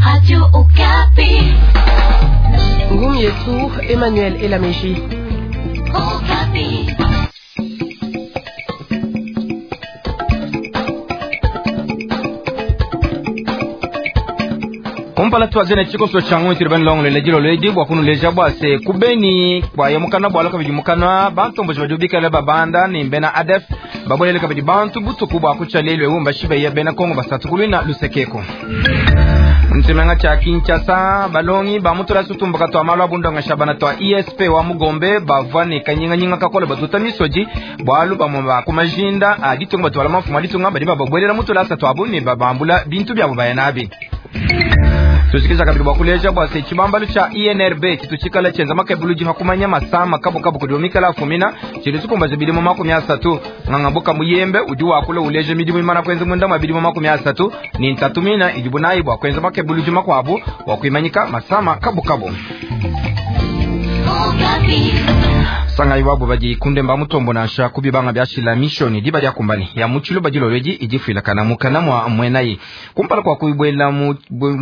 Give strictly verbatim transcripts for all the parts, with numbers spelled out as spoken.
Radio Okapi. Ngumu yetu Emmanuel Elameji. Okapi. Kumpala twazene chikoso changu tiri bani longo lele jilo ledi bwa kunuleja bwa se kubeni kwa yemukana bwa loka bijimukana bantu mboje bajubika babanda ni mbena A D F babolele kabidi bantu butuku bwa kuchalelwe umba shibe ya bena Kongo basatu kulwina lusekeko mtsemenga cha Kinshasa. Balongi bamutula sutumbuka twa malwa bundonga shabana twa I S P wa mugombe bava ne kanyinganyinga kakola batuta misoji bwalu bamwe ba kumajinda aditunga batwala mafumu aditunga badi bababwelela mutula twabu ne babambula bintu byabo bayanabi. Tusikiza kabili bwakuleja bwa se chibambalu cha I N R B chituchikala chenza makebuluji hakumanya masama kabu kabu kudiomikala afumina chili tukumbaza bilimo makumi asatu. Ng'angabuka muyembe udi wakula uleje midimu imana kwenza munda mwa bilimo makumi asatu ni ntatu mina ijibu nayi bwa kwenza makebuluji makwabu wakuimanyika masama kabu kabu. Okapi. Sanga iwabo baji kunde mba mutombo nansha kubibanga byashila mishoni diba lya kumbani ya muchilo bajilolweji ijifuilakana mukana mwa mwenayi kumpala kwa kuibwela mu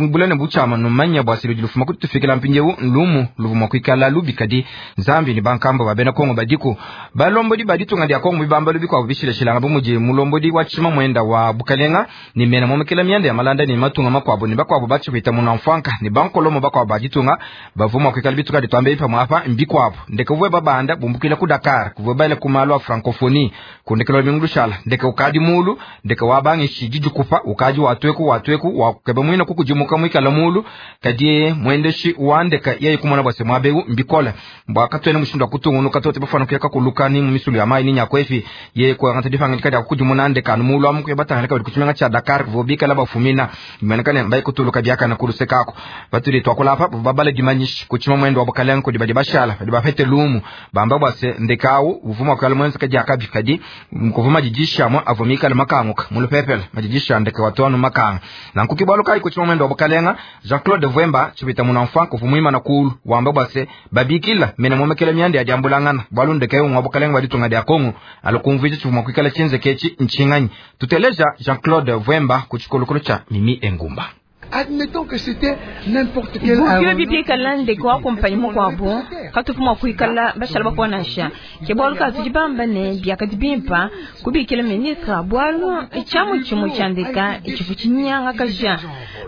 bulane buchama numanya bwasilo jilufuma kutufikila mpinjewu lumu luvuma kuikala lubikadi Nzambi ni bankambo babena Kongo badiku balombodi baditunga lya Kongo bibamba lubi kwa bishileshilanga bumuji mulombodi wa chima mwenda wa bukalenga ni mena momekela myanda ya malanda ni matunga makwabo ni bakwabo bachikwita munamfanka ni bankolomo bakwabo baditunga bavuma kuikala bituka ditwambe ipa mwapa mbikwabo ndeke vwe babanda bumbukila ku Dakar kuvwe baile kumalo a Francophonie kundekela mingu lushala ndeke ukadi mulu ndeke wabangi shiji kupa ukaji watweku watweku wakukeba mwina kukujimuka mwikala mulu kadi mwendeshi wandeka yeye kumona bwase mwabeu mbikola mbwakatwene mushindu akutungunuka tote bafana kuyaka kulukani mu misulu ya mai ni nyakwefi ye kwa ngata difanga kadi akukujimuna ndeka anu mulu amu kuyabatanga kabili kuchimenga cha Dakar kuvobika bafumina imenekane mbai kutuluka byaka na kulusekako batuli twakulapa babale dimanyishi kuchima mwendo wa bukalengo kudi badi bashala badi bapete lumu bamba bwase ndekawu uvuma kwa mwenza kadi akabi kadi mkuvuma jijisha mo avumika la makanguka mulupepele majijisha ndeke watu makanga na nkukibwalu kai kuchima mwendo wa bukalenga Jean-Claude Vwemba chipita munamfa kuvumwima na kulu wamba bwase babikila mena momekela myanda ya diambulangana bwalu ndeke umwa bukalenga baditunga dia Kongo alukumvija chivuma kuikala chinze kechi nchinganyi. Tuteleja Jean-Claude Vwemba kuchikolokolo cha Mimi Engumba. Admettons que c'était n'importe quel bukio bibikala ndeke wakumpanyi mukwabo katufuma kuikala bashala bakuonasha ke bwalu katudi bamba ne biakadi bimpa kubikila ministre bwalu tshiamu tshimue tshia ndeka tshifu tshinyanga kaja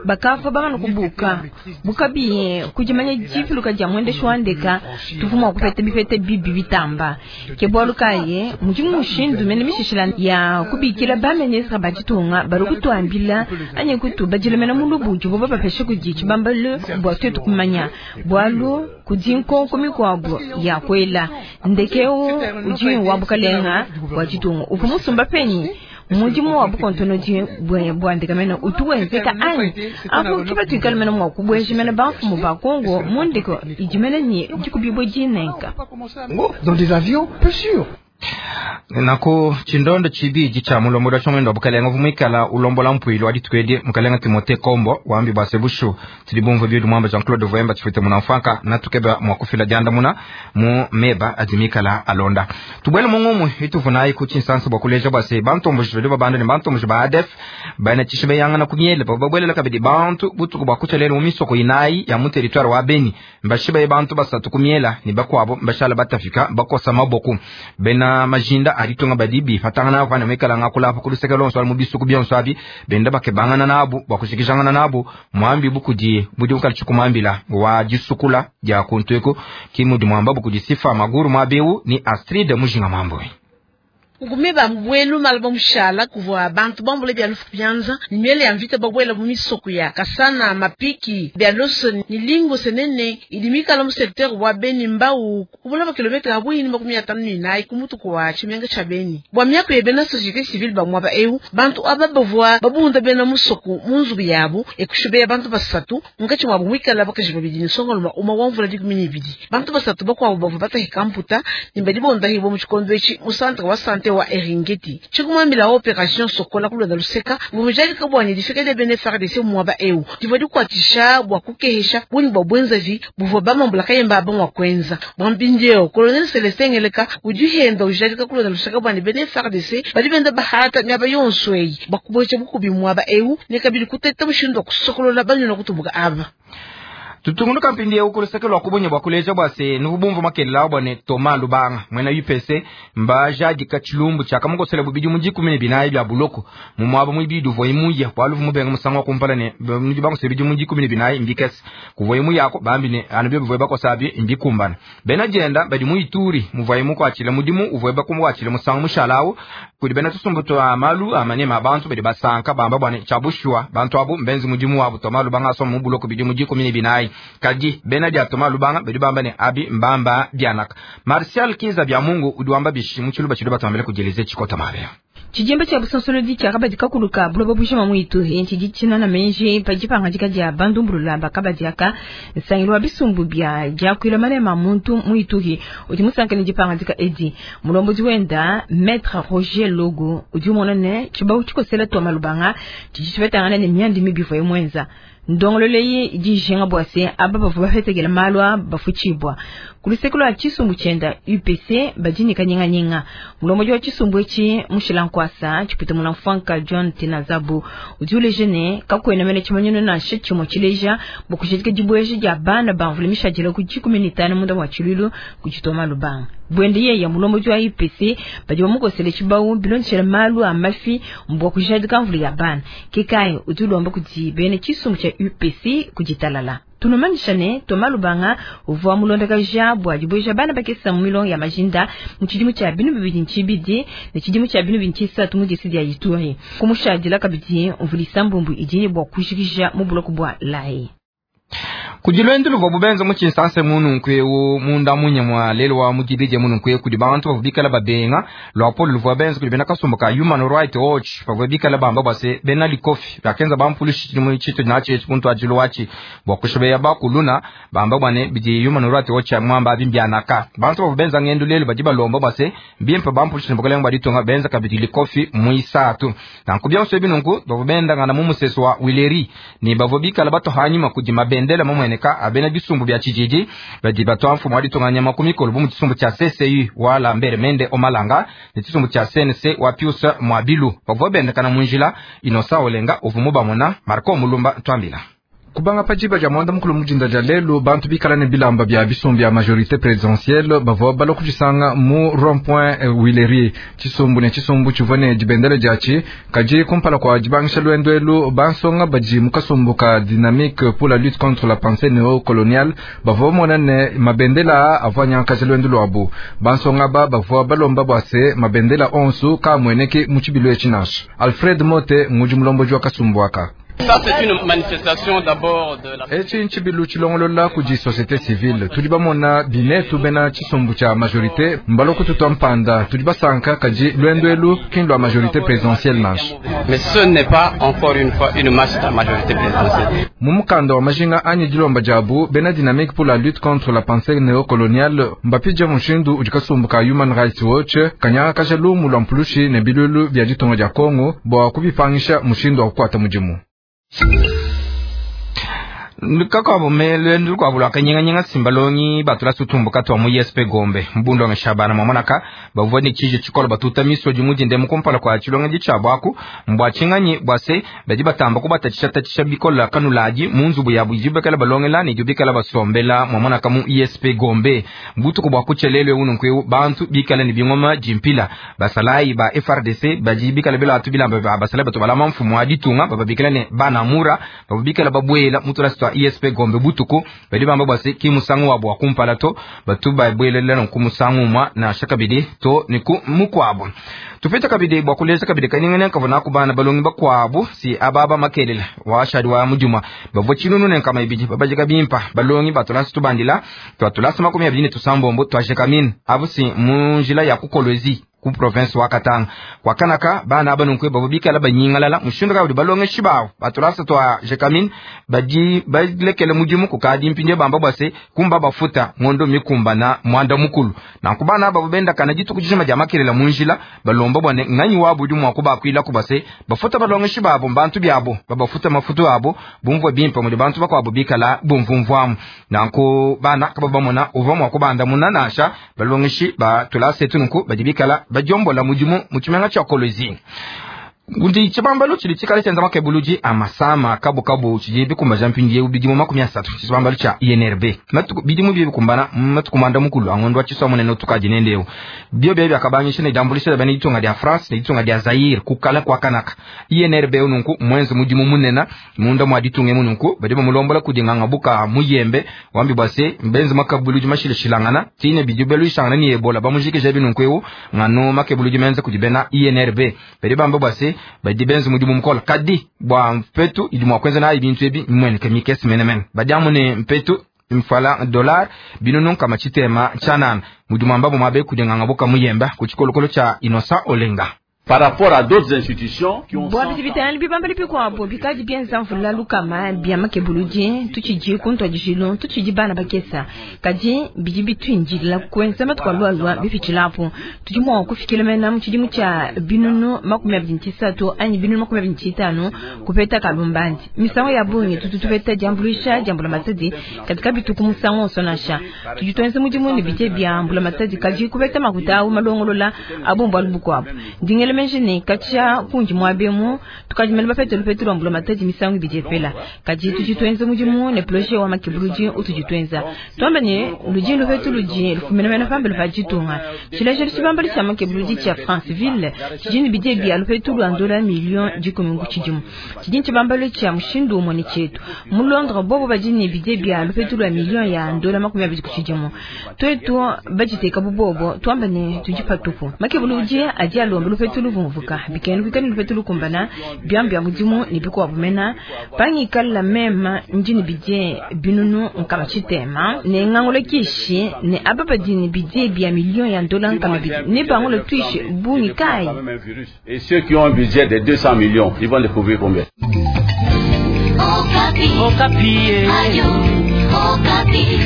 bakafa bamana kubuka bukabiye kudimanya difiluka dia muendeshi wa ndeka tufuma kupeta bipete bibi bitamba. Ke bwalu kaye mudi mushindu mene mishishila ya kubikila ba ministre baditunga bali kutuambila anyi kutu badilemena mulubu jubo bapeshe kudi tshibambalu bua tuetu kumanya bwalu kudi nkonko mikuabu ya kwela ndekeu udi wa bukalenga bua ditunga uvu musumba penyi mudimu wa bukontonodi bua ndeka mene utu wenzeka anyi apu tuba tuikala mene mua kubueja mene bamfumu ba Kongo mu ndeko idi mene ni dikubibue dinenka. Dans des avions peu sûrs. Nako chindondo chibiji cha mulombola wa mwendo wa bukalenga vumwikala ulombola mpwilo aditukwedi mukalenga Timote Kombo wambi bwase bushu tilibumvu byedu mwamba Jean Claude Vwemba chifite munamfanka natukeba mwakufila janda muna mu meba adimikala alonda tubwele mung'umwe ituvunayi kuchinsansa bwa kuleja bwase bantomboji bali babanda ni bantomboji ba A D F bana chishibe yangana kunyele bababwelela kabidi bantu butuku bwa kuchalele mu misoko inayi ya mu territoire wa Beni mbashibe bantu basatu kumiela ni bakwabo mbashala batafika bakosa maboku bena majinda aditunga badibi fatangana pana mekala ngakula pa kuluseka lonso al mubisuku byonso abi benda bakebangana nabu bakushikishangana nabu mwambi bukudi budi ukali chukumambila wa jisukula ja kuntweko kimudi mwamba bukudi sifa maguru mwabewu ni Astrid Mujinga Mambo. Ngume bambwelu mala bamushala kuvwa bantu bambule bya lufu byanza ni miele ya mvita babwela mu misoko ya Kasana, Mapiki, bya Loso ni Lingo Senene ilimikala mu secteur wa Beni Mbau kubula ba kilometre abwini makumi atano ni inayi kumutu kwa chimenga cha Beni. Bwa myako yebena société civile bamwaba eu bantu aba bavwa babunda bena musoko mu nzubu yabo ekushubeya bantu basatu munkatshi mwabo mwikala bakaji babidi ni songoloma uma wa mvula dikumi ni ibidi. Bantu basatu bakwabo bavwa batahika mputa ni badi bondahibwa mu tshikondo etshi mu centre wa santé. wa Eringeti. Tshikumambila operation Sokola kulonda luseka ngumujadika bwani difika dia bena F A R D C muaba eu divua dikuatshisha bua kukehesha bungi bua bwenzavi buvua bamambula kayemba abamwa kwenza. Bwa mpindieu Colonel Celestin Ngeleka udi henda ujadika kulonda luseka bwani bena F A R D C badi benda bahata miaba yonso eyi bakubwecha bukubi muaba eu ne kabidi kuteta mushindu wa kusokolola banyuna kutumbuka aba. Tutungunuka mpindieu kuluseke lwa kubonye bwa kuleja bwa se nuvubumvu makelela bwa ne Thomas Lubanga mwena U P C mbajadika tshilumbu tshia kamukosela bubidi mu dikumi ne binayi bya buloko mu mwaba mwibidi uvua imuya bwalu mubenga musangu wa kumpala ne nudi bangosela bidi mu dikumi ne binayi mbikese kuvua imuyako bambi ne anu byo bivua bakosa abi mbikumbana bena dienda badi mu Ituri muvua imukwatshila mudimu uvua bakumwatshila musangu mushalawu kudi bena tusumbu twa malu amanema abantu badi basanka bamba bwa ne tshiabushwa bantu abu mbenzi mudimu wabu Thomas Lubanga asoma mu buloko bidi mu dikumi ne binayi kadi bena dia Thomas Lubanga badi bamba ne abi mbamba bianaka Martial Kiza bya Mungu udi wamba bishi mu tshiluba tshiluba twambele kujeleze tshikota mabea. Tshijembe tshia busonsolodi tshia kabadi kakuluka buloba bujima mu Ituri ntshidi tshinana menji padi pangadika dia bandumbulula bakabadi aka nsangilu wa bisumbu bia diakuila malema muntu mu Ituri udi musankane dipangadika edi mulombodi wenda Maître Roger Logo udi umona ne tshibawu tshikosela Thomas Lubanga tshidi tshipetangana ne miandi mibi ivuaye muenza. Ndongololo dijinga bwa se aba bavua bafetekela malu a bafutshibwa kuluseke lwa tshisumbu tshienda U P C badi kanyinganyinga mulombodi wa tshisumbu etshi mushila nkwasa tshipita muna mfanka John Tenazabu udi uleja ne kakwena mene tshimanyino nansha tshimue tshileja bua kujadika dibueja dia bana bamvula mishadila ku dikumi ne tanu munda mwa tshilulu kudi Thomas Lubanga bwende yeye mulombodi wa U P C badi bamukosele tshibawu bilondeshela malu a mafi mbwa kujadika mvula ya bana kekayi udi ulomba kudi bene tshisumbu tshia U P C kuditalala. Tunumanyisha ne Thomas Lubanga uvua mulondakaja bua dibueja bana bakesa mu milongo ya majinda mu tshidimu tshia binu bibidi ntshibidi ne tshidimu tshia binu bibidi ntshisatu mu disi dia Ituri kumushadila kabidi mvulisa mbumbu idi ne bua kujikija mu buloko bua Lae. Kudi lwendo luvua bubenza mu tshinsansa mununku eu munda munya mwa lelo wa mudibidi mununku eu kudi bantu bavua bikala babenga lwa polo luvua benza kudi bena kasumbu ka Human Rights Watch bavua bikala bamba bua se bena likofi bakenza bampulushi tshidimu tshitu natshi muntu ajilu watshi bua kushobeya bakuluna bamba bua ne bidi Human Rights Watch mwamba abi mbianaka bantu bavua benza ngendo lelo badi balomba bua se mbimpe bampulushi ne bukalenge bua ditunga benza kabidi likofi muisatu nanku bionso ebi nunku bavua bendangana mu musesu wa Wileri ne bavua bikala batohanyima kudi mabendela mumweneka abena bisumbu bya tshijiji badi batwa mfumu wa ditunga nyama ku mikolo bu mu tshisumbu tshia C C U wa Lambert Mende Omalanga ne tshisumbu tshia C N C wa Pius Mwabilu bavua bendekana mu njila Inosa Olenga uvumu bamona Marco Mulumba twambila. Kubanga pajiba dia mwanda mukulu mujinda dia lelu bantu bikala ne bilamba bia bisumbu bia majorité présidentielle bavua balua kudisanga mu rond-point Wileri tshisumbu ne tshisumbu tshivua ne dibendele diatshi kadi kumpala kua dibangisha lwendo elu bansonga badi mu kasumbu ka dynamique pour la lutte contre la pensée néocoloniale bavua bamona ne mabendela avua nyankaja lwendo luabu bansonga ba bavua balomba bua se mabendela onsu kamueneke mu tshibilu etshi nansha Alfred Mote ngudi mulombodi wa kasumbu aka. Ça, c'est une manifestation d'abord de la... Etshi ntshibilu tshilongolola kudi société civile tudi bamona binetu bena tshisumbu tshia majorité mbaloku tutwa mpanda tudi basanka kadi lwendo elu kindu lwa majorité présidentielle nansha. Mais ce n'est pas encore une fois une marche de la majorité présidentielle. Mu mukanda wa majinga anyi dilomba diabu bena dynamique pour la lutte contre la pensée néocoloniale mbapidja mushindu udi kasumbu ka Human Rights Watch kanyanga kaja lumu lwa mpulushi ne bilulu bia ditunga dia Kongo bua kubipangisha mushindu wa kukwata mudimu. Kakabo melwendu lukwabo kanyinganyinga simbalongi batula sutumbu katwa mu I S P Gombe mbundo ngashabana mwamonaka bavua ne tshiji tshikolo batuta misoji mudinde mukumpala kwa tshilonga ditshabu mbwa tshinganyi bwa se badi batamba kubatatshisha tatshisha bikola kanulaji mu nzubu ya bujibekela balongela ne jubikala basombela mwamonaka mu I S P Gombe mbutuku bwa kuchelelwe ununkwe bantu bikala ne bingoma jimpila basalayi ba F R D C badi bikala bela atubilamba ba basalayi batobala mfumu wa ditunga bababikala ne banamura babikala babwela mutula sitwa I S P Gombe butuku badi bamba bwase ki musangu wa bwa kumpala to batu babwelela no kumusangu mwa na shakabidi to ni ku mukwabo tupeta kabidi bwa kuleza kabidi kanyingana kavuna kubana balongi bakwabo si ababa makelela washadi wa mujuma bavo chinunu ne kama ibidi babajika bimpa balongi batula situbandila twatula makumi abiri ne tusambombo twasheka min abusi munjila ya kukolwezi ku province wa Katanga. Kwa kanaka bana aba nunku babo bikala banyingalala mushindu kayi udi balongeshi bawo batulasa twa Gécamines badi balekele mudimu kukadi mpindie bamba bwa se kumba bafuta ngondo mikumbana mwanda mukulu. Nanku bana aba benda kana dituku dijima dia makelela munjila balomba bwa ne nganyi wabo udi mua kubakuila kubase bafuta balongeshi babo mbantu byabo babafuta mafutu abo bumvwa bimpe mudi bantu bakwabo bikala bumvumvwamu. Nanku bana kaba bamona uva mua kubanda munanasha balongeshi ba tulasa etu nunku badi bikala badiombola mudimu mu tshimenga tshia Kolwezi. Ndi tshibambalu tshidi tshikale tshienza makebuludi a masama kabukabu tshidi bikumbaja mpindiewu bidimu makumi asatu tshibambalu tshia I N R B matuku bidimu bie bikumbana matuku mwanda mukulu a ngondo wa tshisua munene utukadi nendeu bio bie biakabangisha ne diambulisha dia bena ditunga dia France ne ditunga dia Zaire kukala kwa kanaka I N R B nunku mwenze mudimu munena munda mwa ditunga emu nunku badi bamulombola kudi nganga buka muyembe wambi bwa se mbenze makebuludi mashilashilangana tine bidi beluishangana ni Ebola bamujikija binunku eu ngano makebuludi menze kudi bena I N R B badi bamba bwa se badi benze mudimu mukola kadi bwa mpetu idi mwa kwenza nayi bintu ebi mweneke mikesi menemene badi amune mpetu mfala dollar binunu kama chitema chanana mudimu ambabo mwabe kudinganga buka muyemba ku chikolokolo cha Innocent Olenga. Par rapport à d'autres institutions qui ont bwa bidi bitangana bibambali bikuabo bikadi bienza mvula lukama bia makebuludi tutshidi kuntwadijilo tutshidi bana bakesa kadi bidi bitwinjila kwenza matuku alualua bipitshilapo tudi mua kufikila mena mu tshidimu tshia binunu makumi abidi ntisatu anyi binunu makumi abidi ntitanu kupeta kalumbandi misango ya bungi tutu tupeta diambuluisha dia mbulamatadi katika bituku musango onso nansha tudi tuenza mudimu ne bidie bia mbulamatadi kadi kupeta makuta awu malongolola abombo alu bukuabo ndingele menjini katia kundi mwabemu tukadimela bapete lupetu lwa mbulamatadi misango ibidi epela kadi tudi tuenza mudimu ne projet wa makebuludi utudi tuenza twamba ne ludi lupetu ludi lufumenemene pambelo pa ditunga tshilejelu tshibambali tshia makebuludi tshia Franceville tshidi ne bidie bia lupetu lwa ndola million dikumi ku tshidimu tshidi tshibambalo tshia mushindu umue ne tshietu mu Londres bobo badi ne bidie bia lupetu lwa million ya ndola makumi abidi ku tshidimu twetu baditeka bubobo twamba ne tudi patupu makebuludi adi alomba lupetu luvumvuka bikenu bikenu lupetu lukumbana byambya mudimu ne bikuabo mena pangikala mema ndini bidie binunu nkama tshitema ne ngangolo kishi ne aba badini bidie bia million ya ndola nkama bidi ne bangolo twishi bungi kai. Et ceux qui ont un budget de deux cents millions, ils vont découvrir combien. Okapi. Okapi. Ayo, Okapi.